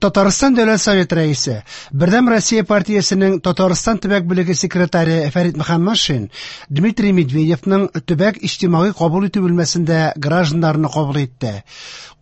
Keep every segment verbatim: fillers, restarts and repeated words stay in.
Татарстан Дәүләт Советы рәисе, Бердәм Россия партиясенең Татарстан төбәк бүлеге секретаре Фәрит Мөхәммәтшин Дмитрий Медведевның төбәк иҗтимагый кабул итү бүлмәсендә гражданнарны кабул итте.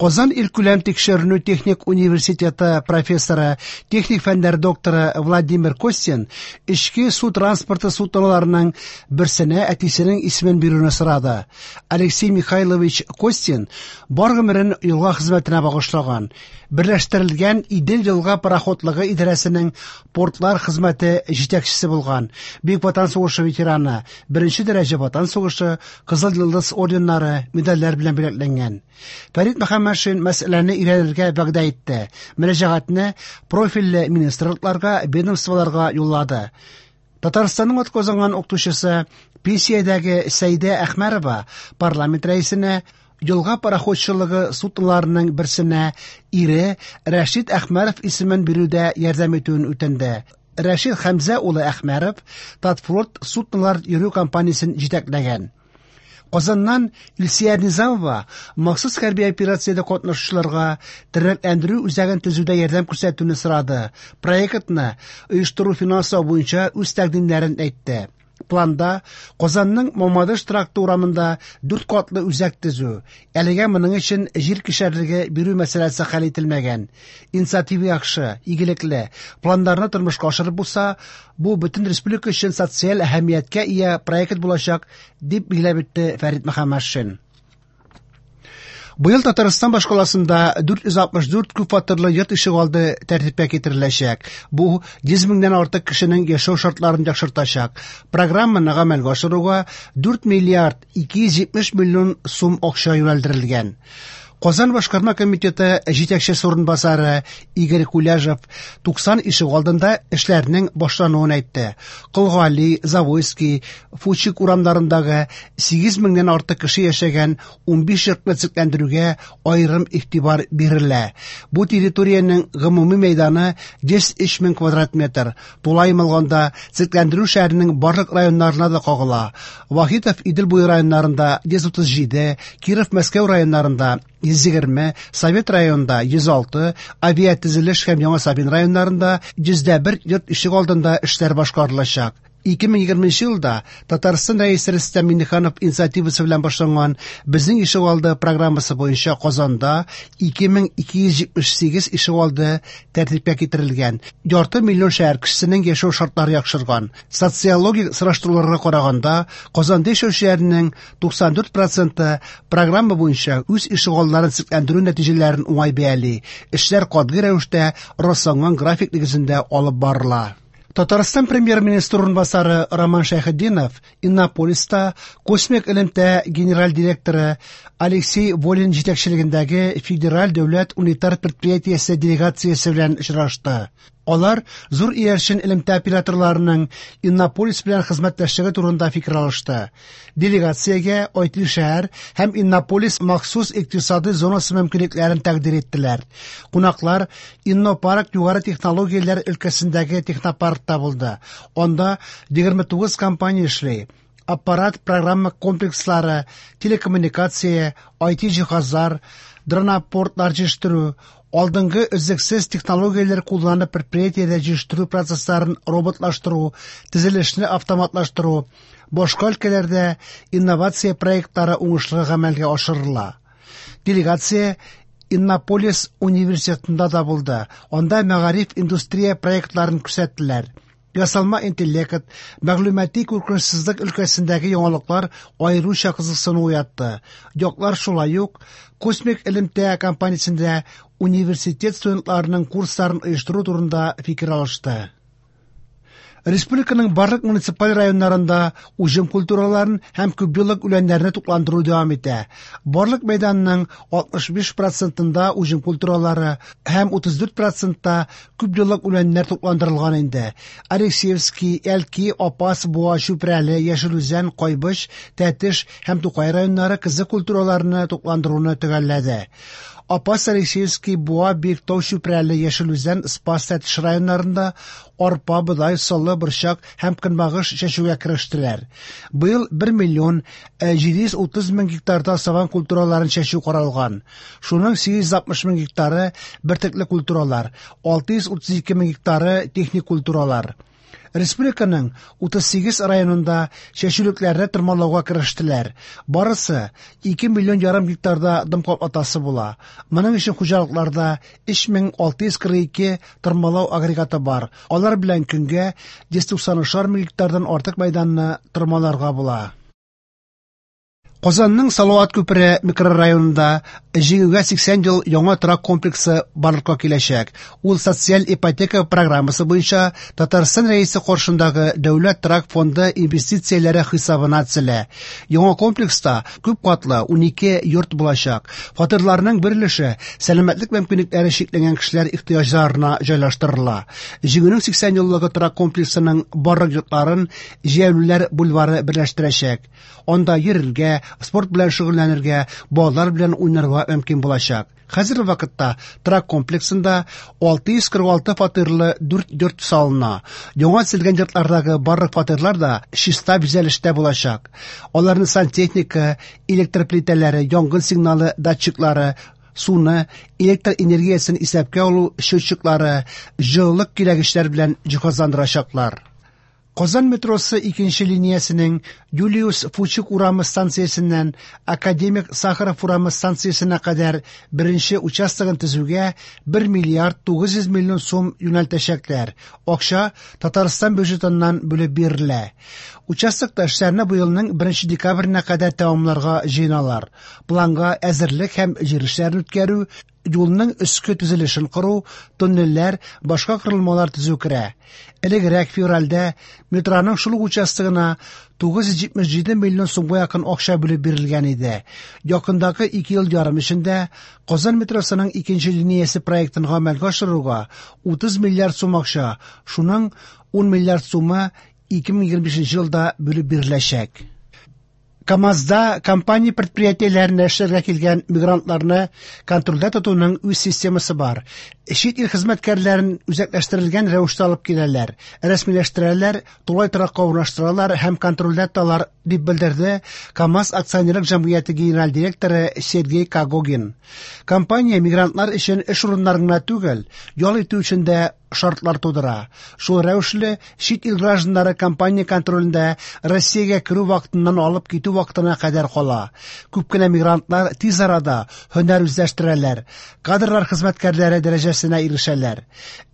Казан илкүләм тикшеренү техник университеты профессоры, техник фәннәр докторы Владимир Костин эчке су транспорты судноларының берсенә әтисенең исемен бирүне сорады. Алексей Михайлович Костин бар гомерен елга хезмәтенә багышлаган. Берләштерелгән Идел елга пароходлыгы идарәсенең портлар хезмәте җитәкчесе булган. Бөек Ватан сугышы ветераны, беренче дәрәҗә Ватан сугышы, Кызыл Йолдыз орденнары, медальләр белән бүләкләнгән. Фәрит Мөхәммәтшин мәсьәләне өйрәнергә вәгъдә итте. Мөрәҗәгатьне профильле министрлыкларга, ведомстволарга юллады. Татарстанның атказанган укытучысы, пенсиядәге Сәйдә Әхмәрова парламент рәисенә елга пароходчылыгы судноларының берсенә ире Рәшит Әхмәров исемен бирүдә ярдәм итүен үтенде. Рәшит Хәмзә улы Әхмәров Татфлот суднолар йөрү компаниясен җитәкләгән. Казаннан Илсөяр Низамова махсус хәрби операциядә катнашучыларга тернәкләндерү үзәген төзүдә ярдәм күрсәтүне сорады. Проектны оештыру финанслау буенча үз тәкъдимнәрен әйтте. Планда Казанның Мамадыш тракты урамында дүрт катлы үзәк төзү. Әлегә моның өчен җир кишәрлеге бирү мәсьәләсе хәл ителмәгән. Инициатива яхшы, игелекле. Планнарны тормышка ашырып булса, бу бөтен республика өчен социаль әһәмияткә ия проект булачак, дип билгеләп үтте Фәрит Мөхәммәтшин. Быел Татарстан башкаласында дүрт йөз алтмыш дүрт күп фатирлы йорт ишегалды тәртипкә китереләчәк. Бу йөз меңнән артык кешенең яшәү шартларын яхшыртачак. Программаны гамәлгә ашыруга дүрт миллиард ике йөз җитмеш миллион сум акча юнәлдерелгән. Казан башкарма комитеты җитәкчесе урынбасары Игорь Куляжев туксан ишегалдында эшләрнең башлануын әйтте. Колгали, Завойский, Фучик урамнарындагы сигез меңнән артык кеше яшәгән унбиш йортны төзекләндерүгә аерым игътибар бирелә. Бу территориянең гомуми мәйданы йөз өч мең квадрат метр. Тулаем алганда төзекләндерү шәһәрнең барлык районнарына да кагыла. Вахитов Идел буе районнарында йөз утыз җиде, Киров Мәскәү районнарында йөз егерме, Совет районында йөз алты, авиатөзелеш һәм Яңа Савин районнарында йөз дә бер йорт ишегалдында эшләр башкарылачак. Ике мең егерменче елда Татарстан рәисе Рөстәм Миңнеханов инициативасы белән башланган Безнең ишегалды программасы буенча Казанда ике мең ике йөз җитмеш сигез ишегалды тәртипкә китерелгән. Ярты миллион шәһәр кешесенең яшәү шартлары яхшырган. Социологик сораштыруларга караганда, Казанда яшәүчеләрнең туксан дүрт проценты программа буенча үз ишегалларын төзекләндерү нәтиҗәләрен уңай бәяли. Эшләр катгый рәвештә расланган график нигезендә алып барыла. Татарстан премьер-министры урынбасары Роман Шәйхетдинов Иннополиста космик элемтә генераль директоры Алексей Волин җитәкчелегендәге Федераль дәүләт унитар предприятиесе делегациясе белән очрашты. Алар зур иярчен элемтә операторларының Иннополис белән хезмәттәшлеге турында фикер алышты. Делегациягә ай ти шәһәр һәм Иннополис махсус икътисади зонасы мөмкинлекләрен тәкъдир иттеләр. Кунаклар Иннопарк югары технологияләр өлкәсендәге технопаркта булды. Анда егерме тугыз компания эшли. Аппарат программа комплекслары, телекоммуникация, ай ти җиһазлар, дронопортлар җитештерү, алдынгы өзлексез технологияләр кулланып предприятиедә җитештерү процессларын роботлаштыру, төзелешне автоматлаштыру, башка өлкәләрдә инновация проектлары уңышлы гамәлгә ашырыла. Делегация Иннополис университетында да булды. Анда мәгариф индустрия проектларын күрсәттеләр. Ясалма интеллект, мәгълүмати куркынычсызлык өлкәсендәге яңалыклар аеруча кызыксыну уятты. Яклар шулай ук космик элемтә компаниясендә университет студентларының курсларын оештыру турында фикер алышты. Республиканың барлык муниципаль районнарында уҗым культураларын һәм күпьеллык үләннәрне тукландыру дәвам итә. Барлык мәйданның алтмыш биш процентында уҗым культуралары һәм утыз дүрт процентта күпьеллык үләннәр тукландырылган инде. Алексеевский, Әлки, Апас, Буа, Чүпрәле, Яшел Үзән, Кайбыч, Тәтеш һәм Тукай районнары кызы культураларны тукландыруны төгәлләде. Апас, Алексеевский, Буа, Биектау, Чүпрәле, Яшел Үзән, Спас, Тәтеш районнарында арпа, бодай, солы, борчак һәм көнбагыш чәчүгә керештеләр. Быел бер миллион җиде йөз утыз мең гектарда сабан культураларын чәчү каралган. Шуның сигез йөз алтмыш мең гектары бөртекле культуралар, алты йөз утыз ике мең гектары техник культуралар. Республиканың утыз сигез районында чәчүлекләрне тырмалауга керештеләр. Барысы ике миллион ярым гектарда дым каплатасы була. Моның өчен хуҗалыкларда өч мең алты йөз кырык ике тырмалау агрегаты бар. Алар белән көнгә йөз туксан өч мең гектардан артык мәйданны тырмаларга була. Казанның Салават күпере микрорайонында Җиңүгә сиксән ел яңа торак комплексы барлыкка киләчәк. Ул социаль ипотека программасы буенча Татарстан Рәисе каршындагы Дәүләт торак фонды инвестицияләре хисабына төзелә. Яңа комплекста күп катлы унике йорт булачак. Фатирларның бер өлеше сәламәтлек мөмкинлекләре чикләнгән кешеләр ихтыяҗларына җайлаштырыла. Җиңүнең сиксән еллыгы торак комплексының барлык йортларын Җәяүлеләр бульвары берләштерәчәк. Анда йөрергә, спорт белән шөгыльләнергә, балалар белән уйнарга мөмкин булачак. Хәзерге вакытта торак комплексында алты йөз кырык алты фатирлы дүрт йорт салына. Яңа төзелгән йортлардагы барлык фатирлар да чиста бизәлештә булачак. Аларны сантехника, электр плитәләре, янгын сигналы датчиклары, суны, электр энергиясен исәпкә алу счетчиклары, җылылык киләгечләр белән җиһазландырачаклар. Казан метросы икенче линиясенең Юлиус Фучик урамы станциясеннән Академик Сахаров урамы станциясенә кадәр беренче участогын төзүгә бер миллиард тугыз йөз миллион сум юнәлтәчәкләр. Акча Татарстан бюджетыннан бүлеп бирелә. Участокта эшләрне быелның беренче декабренә кадәр тәмамларга җыеналар. Планга әзерлек һәм җир эшләрен үткәрү, юлның өске төзелешен кору, туннельләр, башка корылмалар төзү керә. Элегрәк февральдә метроның шул ук участогына тугыз йөз җитмеш җиде миллион сумга якын акча бүлеп бирелгән иде. Якындагы ике ел ярым эчендә Казан метросының икенче линиясе проектын гамәлгә ашыруга утыз миллиард сум акча, шуның ун миллиард сумы ике мең егерме бишенче елда бүлеп биреләчәк. КАМАЗда компания предприятиеләренә эшләргә килгән мигрантларны контрольдә тотуның үз системасы бар. Чит ил хезмәткәрләрен үзәкләштерелгән рәвештә алып киләләр, рәсмиләштерәләр, тулай торакка урнаштыралар һәм контрольдә тоталар, дип белдерде КАМАЗ акционерлык җәмгыяте генераль директоры Сергей Когогин. Компания мигрантлар өчен эш урыннарын гына түгел, ял итү өчен дә шартлар тудыра. Шул рәвешле чит ил гражданнары компания контролендә Россиягә керү вакытыннан алып китү вакытына кадәр кала. Күп кенә мигрантлар тиз арада һөнәр үзләштерәләр, кадрлар хезмәткәрләре дәрәҗәсенә ирешәләр.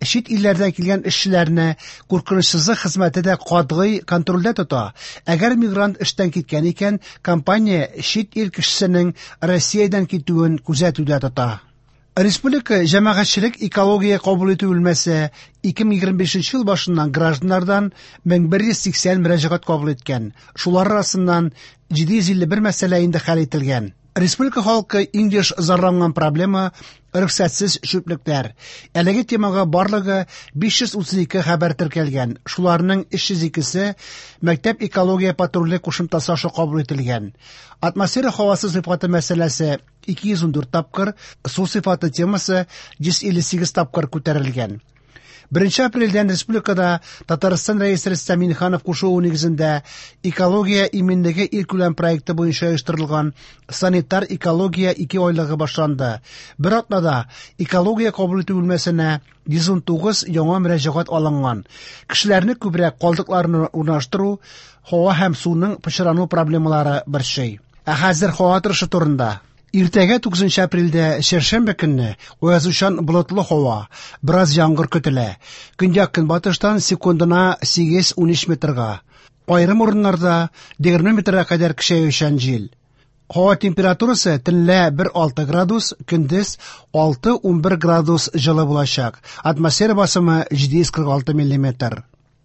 Чит илләрдән килгән эшчеләрне куркынычсызлык хезмәте дә катгый контрольдә тота. Әгәр мигрант эштән киткән икән, компания чит ил кешесенең Россиядән китүен күзәтүдә тота. Республика җәмәгатьчелек экология кабул итү бүлмәсе ике мең егерме бишенче ел башыннан гражданнардан мең бер йөз сиксән мөрәҗәгать кабул иткән. Шулар арасыннан җиде йөз илле бер мәсьәлә инде хәл ителгән. Республика халкы иң еш зарланган проблема рөхсәтсез чүплекләр. Әлеге темага барлыгы биш йөз утыз ике хәбәр теркәлгән. Шуларның өч йөз икесе мәктәп экология патруле кушымтасы аша кабул ителгән. Атмосфера һавасы сыйфаты мәсьәләсе ике йөз ун дүрт тапкыр, су сыйфаты темасы йөз илле сигез тапкыр күтәрелгән. Беренче апрельдән республикада Татарстан Рәисе Рөстәм Миңнеханов кушуы нигезендә экология иминлеге илкүләм проекты буенча оештырылган санитар экология ике айлыгы башланды. Бер атнада экология кабул итү бүлмәсенә йөз ун тугыз яңа мөрәҗәгать алынган. Кешеләрне күбрәк калдыкларны урнаштыру, һава һәм суның пычрану проблемалары борчый. Ә хәзер һава торышы турында. Иртәгә тугызынчы апрельдә чәршәмбе көнне аязучан болытлы һава, бераз яңгыр көтелә. Көньяк-көнбатыштан секундына сигез-унөч метрга. Аерым урыннарда егерме метрга кадәр көчәючән җил. Һава температурасы төнлә бер алты градус, көндез алты-унбер градус җылы булачак. Атмосфера басымы җиде йөз кырык алты миллиметр.